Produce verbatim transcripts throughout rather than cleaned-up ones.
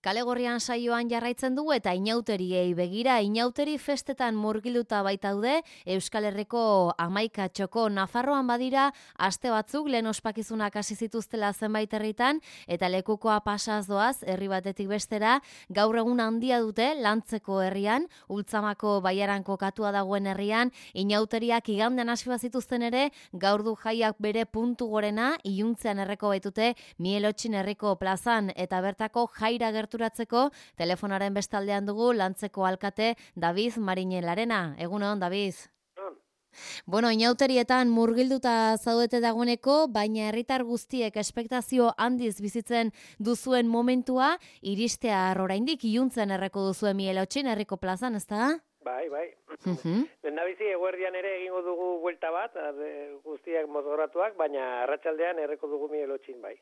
Kale Gorrian saioan jarraitzen dugu eta inauteriei begira, inauteri festetan murgilduta baitaude Euskal Herriko hamaika txoko. Nafarroan badira aste batzuk lehen ospakizunak hasi zituztela zenbait herritan eta lekukoa pasaz doaz herri batetik bestera. Gaur egun handia dute Lantzeko herrian, Ultzamako baiaran kokatua dagoen herrian, inauteriak igandean hasi bazituzten ere, gaur du jaiak bere puntu gorena, iluntzean erreko baitute Mielotxin herriko plazan eta bertako jaira gerturatzeko telefonaren bestaldean dugu Lantzeko alkate David Mariñelarena. Egunon, David. Bueno, inauterietan murgilduta zaudete dagoeneko, baina herritar guztiek espektazio handiz bizitzen duzuen momentua, iristea oraindik iluntzen erreko duzuen Mielotxin herriko plazan, ezta? Bai, bai. Lehendabizi eguerdian ere egingo dugu buelta bat, guztiak mozgoratuak, baina arratsaldean erreko dugu Mielotxin, bai.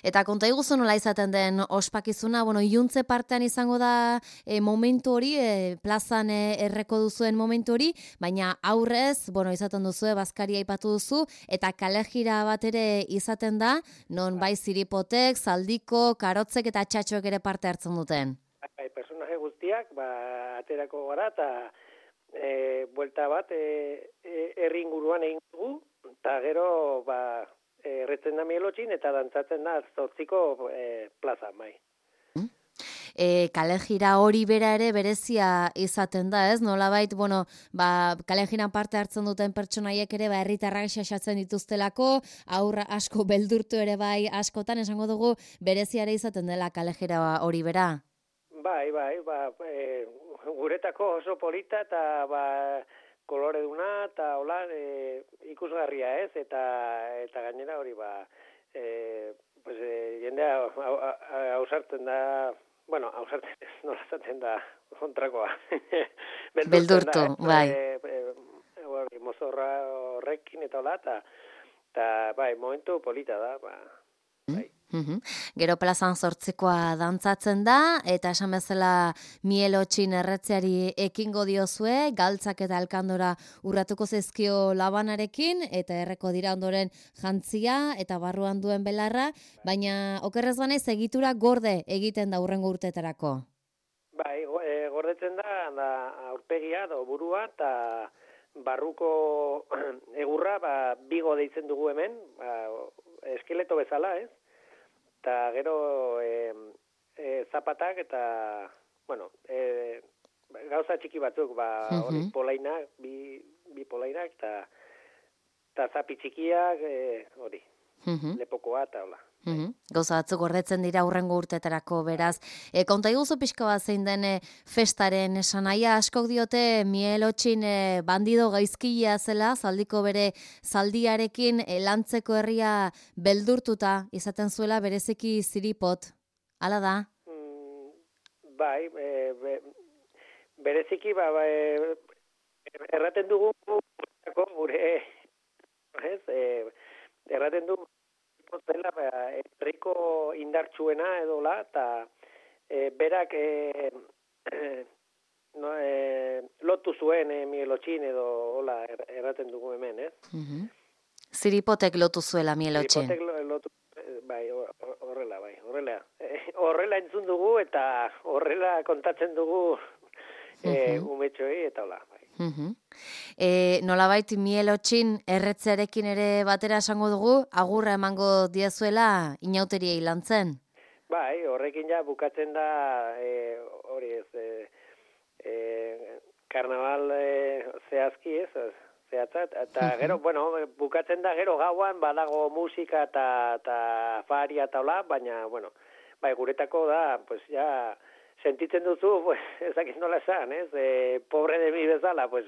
Eta konta iguzu nola izaten den ospakizuna, bueno, iluntze partean izango da e, momentu hori, e, plazan e, erreko duzuen momentu hori, baina aurrez, bueno, izaten duzu, bazkaria aipatu duzu, eta kalejira bat ere izaten da, non bai ziripotek, zaldiko, karotzek eta txatxoek ere parte hartzen duten. Bai, personaje guztiak, ba, aterako gara, eta e, buelta bat, e, e, herri inguruan egin dugu, eta gero, ba, erretzen da Mielotxin eta dantzatzen da zortziko e, plaza, bai. E, kalejira hori bera ere berezia izaten da, ez? Nolabait, bueno, ba, kalejiran parte hartzen duten pertsonaiek ere ba, herritarrak xaxatzen dituztelako, aurra asko beldurtu ere bai askotan, esango dugu berezia ere izaten dela kalejira hori bera. Bai, bai, ba, e, guretako oso polita eta ba, kolore duna eta hola e, ikusgarria ez, eta eta gainera hori ba, e, pues, e, jendea hausartzen da, bueno, hausartzen ez, nola zaten da kontrakoa. Beldurtu, bai. E, e, e, mozorra horrekin eta hola, eta, eta bai, momentu polita da, ba, bai. Uhum. Gero plazan zortzikoa dantzatzen da, eta esan bezala Mielotxin erretzeari ekingo diozue, galtzak eta alkandora urratuko zezkio labanarekin, eta erreko dira ondoren jantzia, eta barruan duen belarra, baina okerrez banaiz egitura gorde egiten da hurrengo urteetarako. Bai, e, gordetzen da, da aurpegia, da burua, eta barruko egurra, ba, bigo deitzen dugu hemen, ba, eskeleto bezala, ez? Eta gero e, e, zapatak eta, bueno, e, gauza txiki batzuk, ba, hori uh-huh. polainak, bi, bi polainak, eta, eta zapi txikiak, e, hori, uh-huh. lepokoa eta hola. Uh-huh. Gauza batzuk gordetzen dira hurrengo urteetarako beraz. E, konta iguzu pixka bat zein den e, festaren esanaia, askok diote Mielotxin e, bandido gaizkilea zela, zaldiko bere zaldiarekin e, Lantzeko herria beldurtuta izaten zuela bereziki ziripot. Hala da? Mm, bai, e, be, bereziki ba, ba, e, erraten dugu gure, ez, e, erraten dugu zela herriko indartsuena edo la, eta e, berak e, no, e, lotu zuen e, Mielotxin edo hola erraten dugu hemen, ez? Uh-huh. Ziripotek lotu zuela Mielotxin. Ziripotek lotu, bai, horrela, bai, horrela. E, horrela entzun dugu eta horrela kontatzen dugu e, uh-huh. umetxoei eta hola, bai. Uh-huh. E, nolabait Mielotxin erretzearekin ere batera esango dugu, agurra emango diezuela inauteriei Lantzen? Bai, horrekin ja bukatzen da, e, hori ez, e, e, karnaval e, zehazki ez, zehatzat, eta uh-huh. gero, bueno, bukatzen da gero gauan, badago musika eta, eta faria eta hola, baina, bueno, bai, guretako da, pues ja, sentitzen duzu, pues, ezakit nola esan, ez? E, pobre de mi bezala, pues,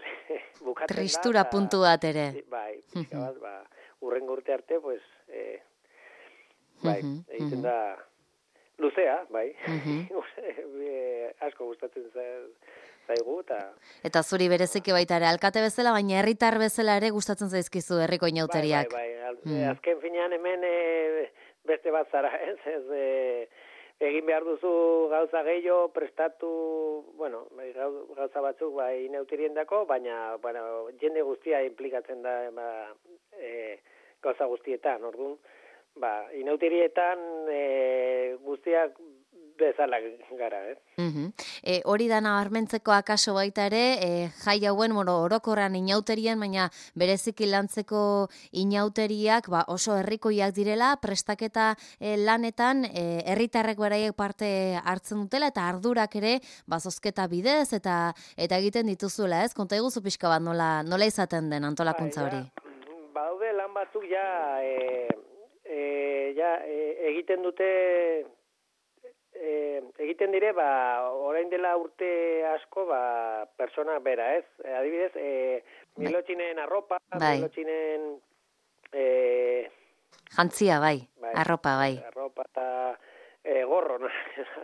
bukatzen da. Tristura ta, puntu bat ere. Bai, pixka bat, ba, urrengo urte arte, pues, e, bai, uh-huh, egiten uh-huh. da luzea, bai. Uh-huh. e, asko gustatzen zaigu, eta... Eta zuri bereziki baita ere, alkate bezala, baina herritar bezala ere gustatzen zaizkizu herriko inauteriak. Bai, bai, bai. Mm. Azken finean hemen e, beste bat zara, ez? Ez, e, egin behar duzu gauza gehiago, prestatu, bueno, gauza batzuk bai inauterien dako, baina, bueno, jende guztia implikatzen da ba, e, gauza guztietan, orduan, ba, inauterietan e, guztiak bezala gara, ez? Uhum. E, hori da nabarmentzeko akaso baita ere, e, jai hauen bueno, orokorran inauterien, baina bereziki lantzeko inauteriak ba, oso herrikoiak direla, prestaketa e, lanetan e, herritarrek beraiek parte hartzen dutela, eta ardurak ere ba, zozketa bidez, eta eta egiten dituzuela, ez? Konta eguzu pixka bat nola, nola izaten den antolakuntza hori? Ba, badaude lan batzuk ja, e, e, ja e, egiten dute E, egiten dire, ba, orain dela urte asko, ba, persona bera, ez? E, adibidez, e, milotxinen arropa, bai. milotxinen... E, jantzia, bai. bai, arropa, bai. Arropa eta e, gorro, no?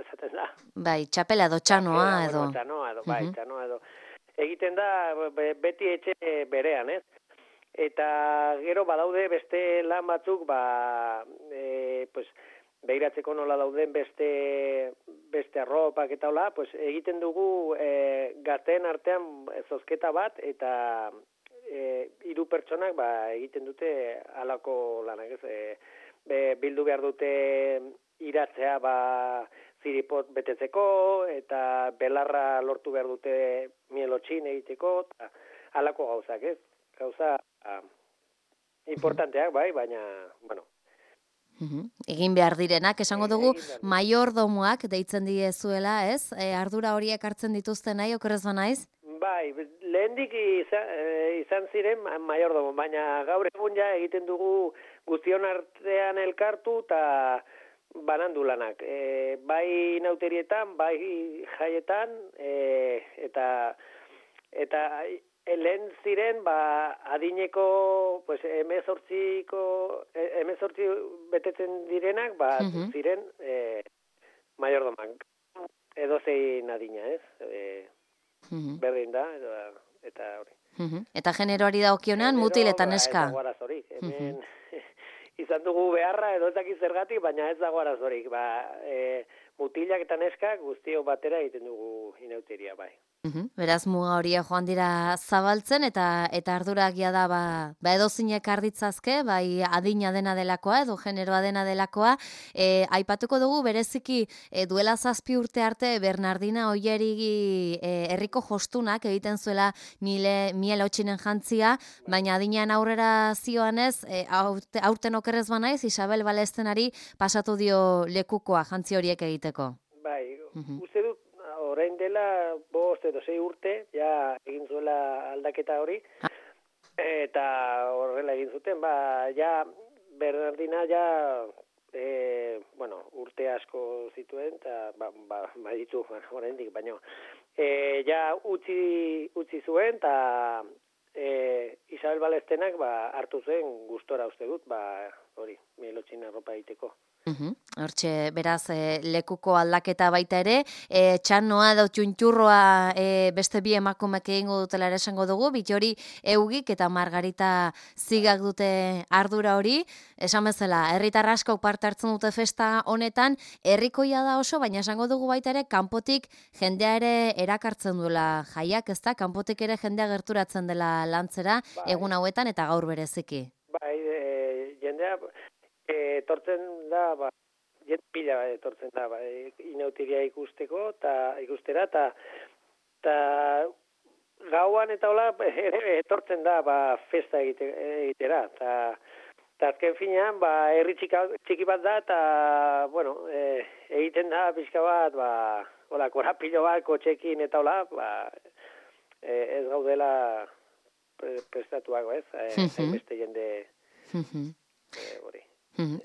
Esaten da. Bai, txapela edo txanoa edo. Bueno, txanoa edo, bai, uh-huh. txanoa edo. Egiten da, beti etxe berean, ez? Eta gero badaude beste lan batzuk, ba, e, pues, behiratzeko nola dauden beste beste arropak eta hola, pues egiten dugu e, gazteen artean zozketa bat eta e, hiru pertsonak ba egiten dute halako lanak, ez? E, be, bildu behar dute iratzea ba ziripot betetzeko eta belarra lortu behar dute mielotxin egiteko eta halako gauzak, ez? Gauza a, importanteak, bai, baina, bueno, Uhum. Egin behar direnak, esango dugu, maiordomoak deitzen diezuela, ez? E, ardura horiek hartzen dituzten nahi, okerrez banaiz? Bai, lehendik izan, izan ziren maiordomo, baina gaur egun ja egiten dugu guztion artean elkartu eta banandu lanak. E, bai nauterietan, bai jaietan, e, eta eta lehen ziren, ba, adineko, pues, emezortziko, emezortzi betetzen direnak, ba, uh-huh. ziren, e, maiordomak. Edo zein adina, ez? E, uh-huh. Berdin da, edo, eta hori. Uh-huh. Eta generoari da okionean, mutil eta neska. Ba, ez dago arazorik. Hemen, uh-huh. izan dugu beharra, edo ez dakiz zergatik, baina ez dago arazorik. Ba, e, mutilak eta neska guztio batera egiten dugu inauteria, bai. Uhum. Beraz, muga horia joan dira zabaltzen, eta eta ardurak ja da, ba, ba edozinek arditzazke, bai adina dena delakoa, edo generoa dena delakoa. E, aipatuko dugu, bereziki e, duela zazpi urte arte, Bernardina Oierigi e, herriko jostunak egiten zuela mile, mielotxinen jantzia, baina adinean aurrera zioanez, e, aurte, aurten okerrez banaiz, Isabel Balestenari pasatu dio lekukoa jantzi horiek egiteko. Bai, uhum. Uste dut, orain dela bost edo sei urte, ja egin zuela aldaketa hori, eta horrela egin zuten, ba, ja Bernardina ja, e, bueno, urte asko zituen, eta ba, ba, ba ditu, orain dik, baino, e, ja utzi, utzi zuen, eta e, Isabel Balestenak ba, hartu zuen gustora uste dut, ba, hori, mielotxin arropa egiteko. Uhum. Hortxe, beraz, e, lekuko aldaketa baita ere, e, txanoa edo txuntxurroa e, beste bi emakumek egingo dutela ere esango dugu, Bitxori Eugik eta Margarita Zigak dute ardura hori, esan bezala, herritar asko parte hartzen dute festa honetan, herrikoia da oso, baina esango dugu baita ere, kanpotik jendea ere erakartzen duela jaiak, ezta? Kanpotik ere jendea gerturatzen dela lantzera, bai. Egun hauetan eta gaur bereziki. Bai, e, jendea... etortzen da, ba, jet pila etortzen da, ba, inautiria ikusteko, eta ikustera, eta ta gauan eta hola etortzen da, ba, festa egite, egitera, eta azken finean, ba, herri txiki bat da, eta, bueno, e, egiten da, pixka bat, ba, hola, korapilo bat, kotxekin eta hola, ba, e, ez gaudela prestatuago, ez, e, beste jende, e, hori.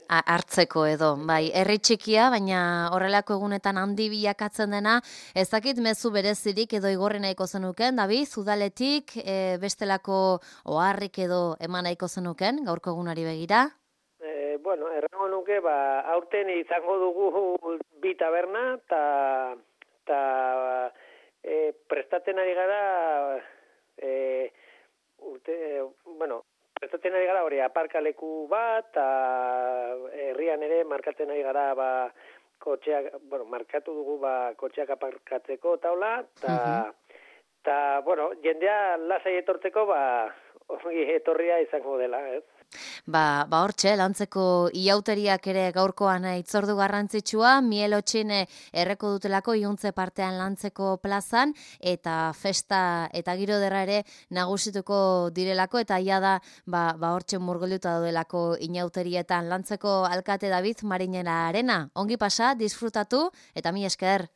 Hartzeko edo, bai, herri txikia, baina horrelako egunetan handi bilakatzen dena, ez dakit mezu berezirik edo igorri nahiko zenuken, David, udaletik, e, bestelako oharrik edo eman nahiko zenuken, gaurko egunari begira? E, bueno, errango nuke, ba, aurten izango dugu bi taberna, eta e, prestatzen ari gara, e, urte, e, bueno, prestatzen ari gara hori aparkaleku bat, eta herrian ere markatzen ari gara ba, kotxeak, bueno, markatu dugu ba, kotxeak aparkatzeko taula, eta, uh-huh. bueno, jendea lasai etortzeko ba, etorria izango dela, ez? Ba, ba hortxe, lantzeko iauteriak ere gaurkoan itzordu garrantzitsua, mielotxin erreko dutelako iuntze partean lantzeko plazan, eta festa eta giro derra ere nagusituko direlako, eta ia da, ba, ba hortxe murgilduta daudelako inauterietan lantzeko alkate David Marinera arena. Ongi pasa, disfrutatu, eta mi esker.